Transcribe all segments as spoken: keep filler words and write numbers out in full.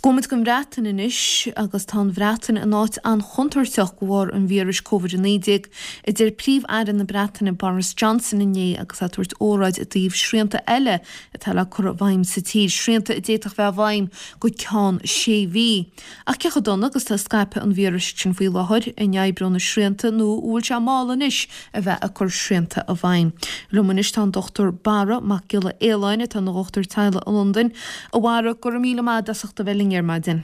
Gabhfaidh muid don Bhreatain anois agus tá an Bhreatain in áit an-chontúirteach de bharr an víris Covid a naoi déag, a deir Príomh-Aire na Breataine Boris Johnson inné agus é ag tabhairt óráid i dtaobh srianta eile atá le cur i bhfeidhm sa tír, srianta a d'fhéadfadh bheith i bhfeidhm go ceann sé mhí. Ach cé chomh dona agus atá scaipeadh an víris sin faoi láthair, an oibreoidh na srianta nó an bhfuil sé mall anois a bheith ag cur srianta i bhfeidhm. Liom anois tá an Dochtúir Barra Mac Giolla Fhaoláin atá ina dhochtúir teaghlaigh i Londain. A Bharra, go raibh míle maith as ucht a bheith linn ar maidin.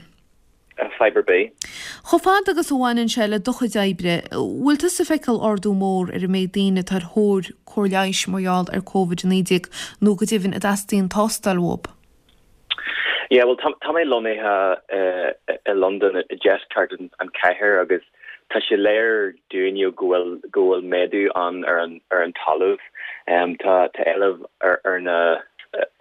Fadhb ar bith. Chomh fada agus a bhaineann sé le do chuid oibre, bhfuil tusa ag feiceáil ardú mór ar an méid daoine atá ar thóir cóir leighis mar gheall ar Covid a naoi déag nó go deimhin a dteastaíonn tástáil uathu? Yeah, well tá tá mé lonnaithe i Londain i deisceart an chathair agus tá sé léir dúinne go bhfuil go bhfuil méadú an ar an ar an talamh. Um, tá tá éileamh ar ar na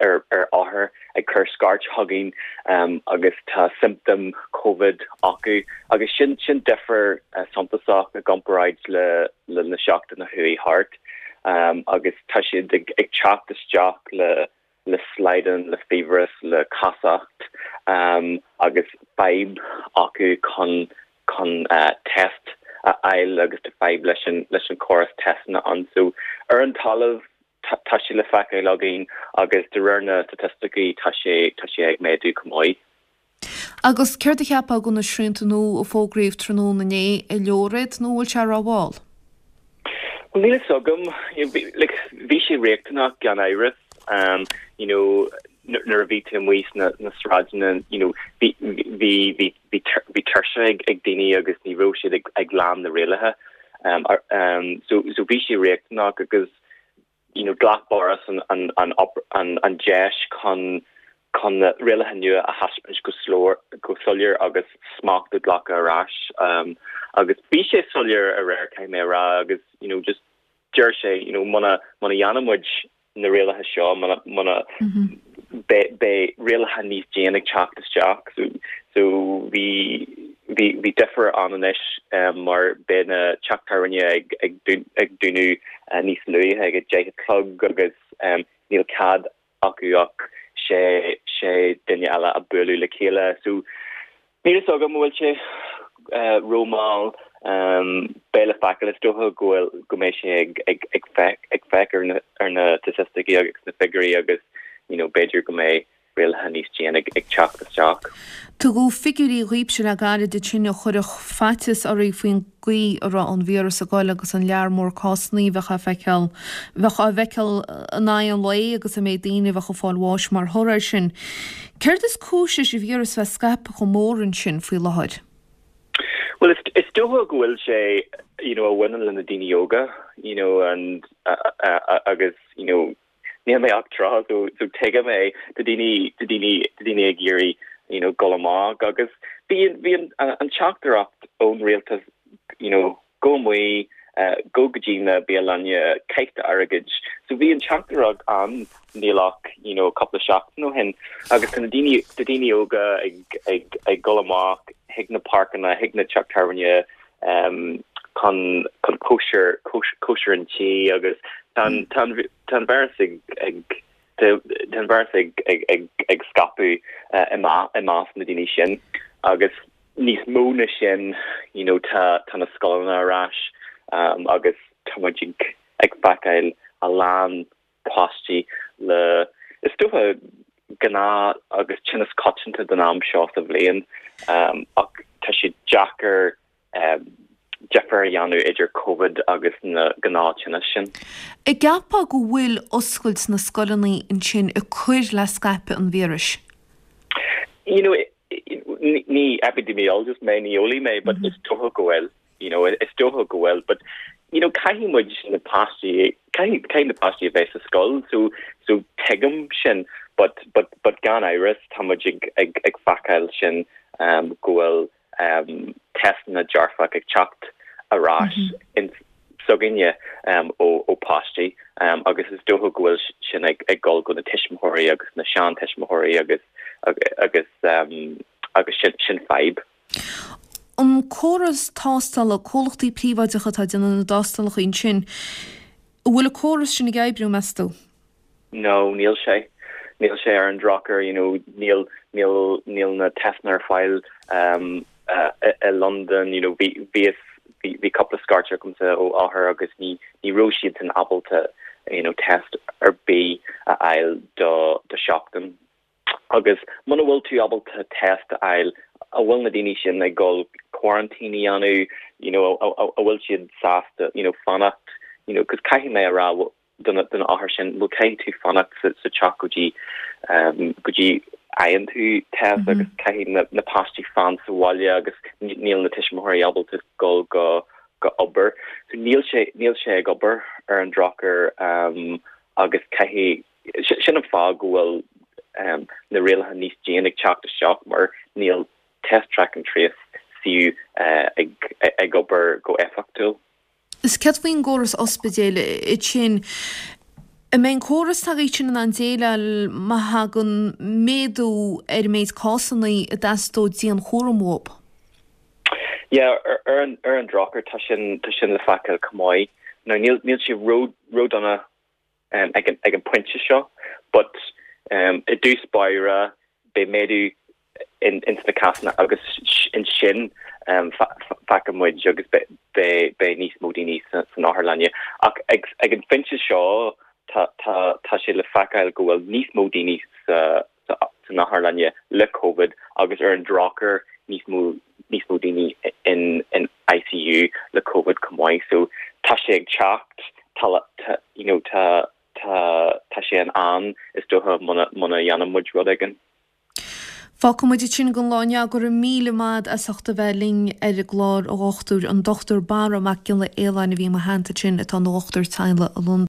ar ar othair ag cur scairt chugainn um, agus tá symptom COVID acu agus sin sin difear uh, suntasach i gcomparáid le le na seachtainí a chuaigh thart um, agus tá siad ag, ag teacht isteach le le slaghdán le fiabhras le casacht um, agus fadhb acu chun chun uh, test a fháil agus tá fadhb leis an leis an córas testanna ann so ar an talamh tá sé le feiceáil againn agus de réir na staitisticí tá sé tá sé ag méadú go maith. Agus céard a cheapfá de na srianta nua a fógraíodh tráthnóna inné an leor iad nó bhfuil sé rómhall? Well níl a fhios agam bhí sé riachtanach gan amhras um, you know nuair a bhí tú amuigh na na sráideanna you know bhí bhí bhí bhí tuirse ag ag daoine agus ní raibh siad ag ag lean na rialacha um, um, so so bhí sé riachtanach agus you know ghlac Boris an an an an an deis chun chun na rialacha nua a thaispeáint go slór go soiléir agus smacht a ghlacadh ar ais um, agus bhí sé soiléir aréir caithfidh mé rá agus you know just deir sé you know muna muna dhéanaimid na rialacha seo muna muna mm -hmm. beidh rialacha níos déine ag teacht isteach so so bhí bhí bhí difear ann anois um, mar beidh na teach tábhairne ag ag ag dúnadh uh, níos luaithe ag a deich a chlog agus um, níl cead acu ach sé sé duine eile a bualadh le chéile so níl a fhios agam bhfuil sé uh, rómhall um, beidh le feiceáil is dócha go bhfuil go mbeidh sé ag ag ag feic ag feic ar na ar na staitisticí agus na figiúirí agus you know b'fhéidir go mbeidh rialacha níos déine ag ag teacht isteach. Tugadh figiúirí dhaoibhse le gairid ansin a chuirfeadh faitíos oraibh faoin gcaoi a raibh an víreas ag dul agus an lear mór cásanna a bheith á feiceáil bheith á bhfeiceáil in aghaidh an lae agus an méid daoine a bheith ag fáil bháis mar thoradh air sin. Céard is cúis leis an víreas bheith scaipthe chomh mór ansin faoi láthair? Well it's it's dócha go bhfuil sé you know a bhaineann le na daoine óga you know and uh, uh, uh, agus you know níl mé ach tríocha so so tuigim é tá daoine tá daoine tá daoine ag iarraidh you know dul amach agus bhí bhí an, an teachtaireacht ón rialtas you know go amuigh uh, go go dtí na bialanna caith airgead so bhí an teachtaireacht ann níl ach you know cúpla seachtain ó shin agus tá na daoine tá daoine óga ag ag ag dul amach chuig na páirceanna chuig na teach tábhairne um, chun chun cóisir cóisir an tí agus tá tá an víreas ag ag tá an víreas ag ag ag ag scaipeadh uh, i i measc na daoine sin agus níos mó ná sin you know tá tá na scoileanna ar ais um, agus tá muid ag ag feiceáil a lán páistí le is dócha gnáth agus tinneas coitianta den am seo sa bhliain um, ach tá sé deacair um, difear a dhéanamh idir COVID agus na gnáth-tinnis sin. An gceapfá go bhfuil oscailt na scoileanna ansin ag cur le scaipeadh an víris? You know, ní epidemiologist mé ní eolaí mé, but mm -hmm. is dócha go bhfuil you know is dócha go bhfuil but you know caithfidh muid na páistí caithfidh na páistí a bheith sa scoil so so tuigim sin but but but gan amhras tá muid ag ag ag feiceáil sin um, go bhfuil um, testanna dearfach ag teacht ar ais mm -hmm. in s'againne um, ó ó páistí um, agus is dócha go bhfuil sin ag ag dul go na tuismitheoirí agus na seantuismitheoirí agus agus um, agus sin sin fadhb. An córas tástála comhlachtaí príobháideacha atá ag déanamh na dtástálacha sin, bhfuil an córas sin ag oibriú meas tú? No, níl sé. níl sé ar an drochuair you know níl níl níl na testanna ar fáil um uh, i London you know bhí bhí bhí cúpla scairt agamsa ó othair agus ní ní raibh siad san ábalta you know test ar bith a fháil do do seachtain agus muna bhfuil tú ábalta test a fháil a bhfuil na daoine sin ag dul quarantine a dhéanamh you know a bhfuil siad sásta you know fanacht you know cos caithfidh mé a rá don don othar sin bhfuil caithfidh tú fanacht sa, sa teach go dtí um, go dtí fhaigheann tú test mm -hmm. agus caithfidh na, na páistí fan sa bhaile agus níl na tuismitheoirí ábalta dul go go obair so níl sé níl sé ag obair ar an drochuair um, agus caithfidh sin an fáth go bhfuil um, na rialacha níos déine ag teacht isteach mar níl test track and trace fiú uh, ag, ag obair go éifeachtúil. Is céard faoin gcóras ospidéil sin An mbeidh an córas tagaí sin an déile má thagann méadú ar méid cásanna a dteastódh dianchúram uathu. Yeah, ar ar an ar an drochuair tá sin tá sin le feiceáil chomh maith. Now níl níl sé ró ródhona um, ag an ag an pointe seo, but um, i dtús báire beidh méadú in in sna cásanna agus ansin um, feicfidh muid agus beidh níos mó daoine san otharlann. Ach ag, ag an phointe seo tá tá tá sé le feiceáil go bhfuil níos mó daoine sa sa san otharlann le COVID agus ar an drochuair níos mó níos mó daoine in in ICU le COVID chomh maith so tá sé ag teacht tá tá you know tá tá tá sé in am is dócha muna muna dhéanann muid rud éigin. Fágfaidh muid sin don lá inniu go raibh míle maith as ucht a bheith linn ar an gclár a dhochtúir an Dr Barra Mac Giolla Fhaoláin a bhí mo theannta sin atá ina dhochtúir teaghlaigh i Londain.